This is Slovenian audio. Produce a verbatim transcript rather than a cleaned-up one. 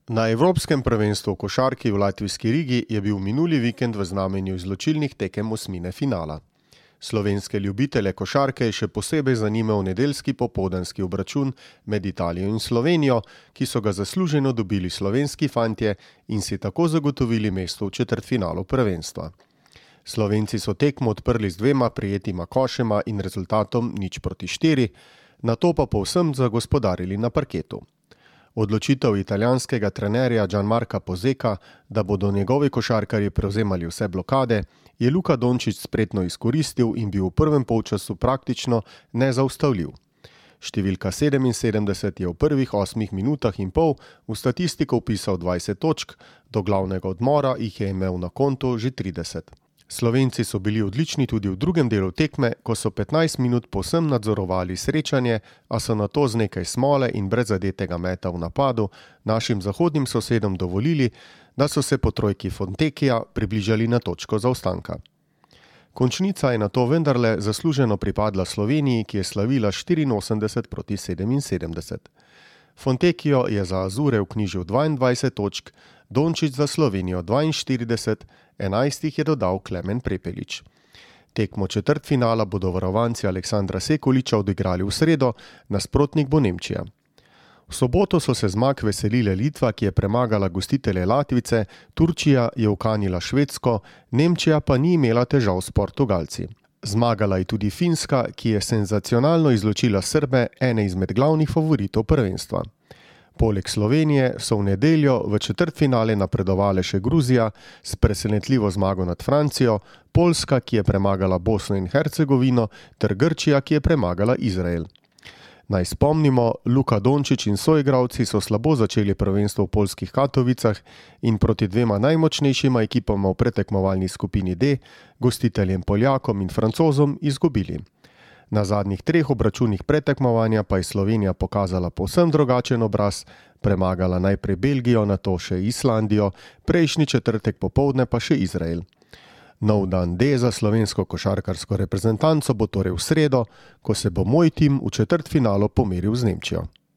Na Evropskem prvenstvu v košarki v latvijski Rigi je bil minuli vikend v znamenju izločilnih tekem osmine finala. Slovenske ljubitelje košarke je še posebej zanimal nedeljski popoldanski obračun med Italijo in Slovenijo, ki so ga zasluženo dobili slovenski fantje in si tako zagotovili mesto v četrtfinalu prvenstva. Slovenci so tekmo odprli z dvema prijetima košema in rezultatom nič proti štiri, nato pa povsem zagospodarili na parketu. Odločitev italijanskega trenerja Gianmarca Pozeka, da bodo njegovi košarkarji prevzemali vse blokade, je Luka Dončić spretno izkoristil in bil v prvem polčasu praktično nezaustavljiv. Številka sedeminsedemdeset je v prvih osmih minutah in pol v statistiko vpisal dvajset točk, do glavnega odmora jih je imel na kontu že trideset. Slovenci so bili odlični tudi v drugem delu tekme, ko so petnajst minut povsem nadzorovali srečanje, a so nato z nekaj smole in brez zadetega meta v napadu našim zahodnim sosedom dovolili, da so se po trojki Fontecchija približali na točko zaostanka. Končnica je nato vendarle zasluženo pripadla Sloveniji, ki je slavila štiriinosemdeset proti sedeminsedemdeset. Fontecchio je za Azure vknjižil dvaindvajset točk, Dončić za Slovenijo dvainštirideset, enajst jih je dodal Klemen Prepelič. Tekmo četrtfinala bodo varovanci Aleksandra Sekuliča odigrali v sredo, nasprotnik bo Nemčija. V soboto so se zmag veselile Litva, ki je premagala gostitelje Latvice, Turčija je ukanila Švedsko, Nemčija pa ni imela težav s Portugalci. Zmagala je tudi Finska, ki je senzacionalno izločila Srbe, ene izmed glavnih favoritov prvenstva. Poleg Slovenije so v nedeljo v četrtfinale napredovale še Gruzija s presenetljivo zmago nad Francijo, Poljska, ki je premagala Bosno in Hercegovino, ter Grčija, ki je premagala Izrael. Naj spomnimo, Luka Dončić in soigralci so slabo začeli prvenstvo v poljskih Katovicah in proti dvema najmočnejšima ekipama v pretekmovalni skupini D, gostiteljem Poljakom in Francozom, izgubili. Na zadnjih treh obračunih pretekmovanja pa je Slovenija pokazala povsem drugačen obraz, premagala najprej Belgijo, nato še Islandijo, prejšnji četrtek popoldne pa še Izrael. Nov dan D za slovensko košarkarsko reprezentanco bo torej v sredo, ko se bo moj tim v četrtfinalu pomeril z Nemčijo.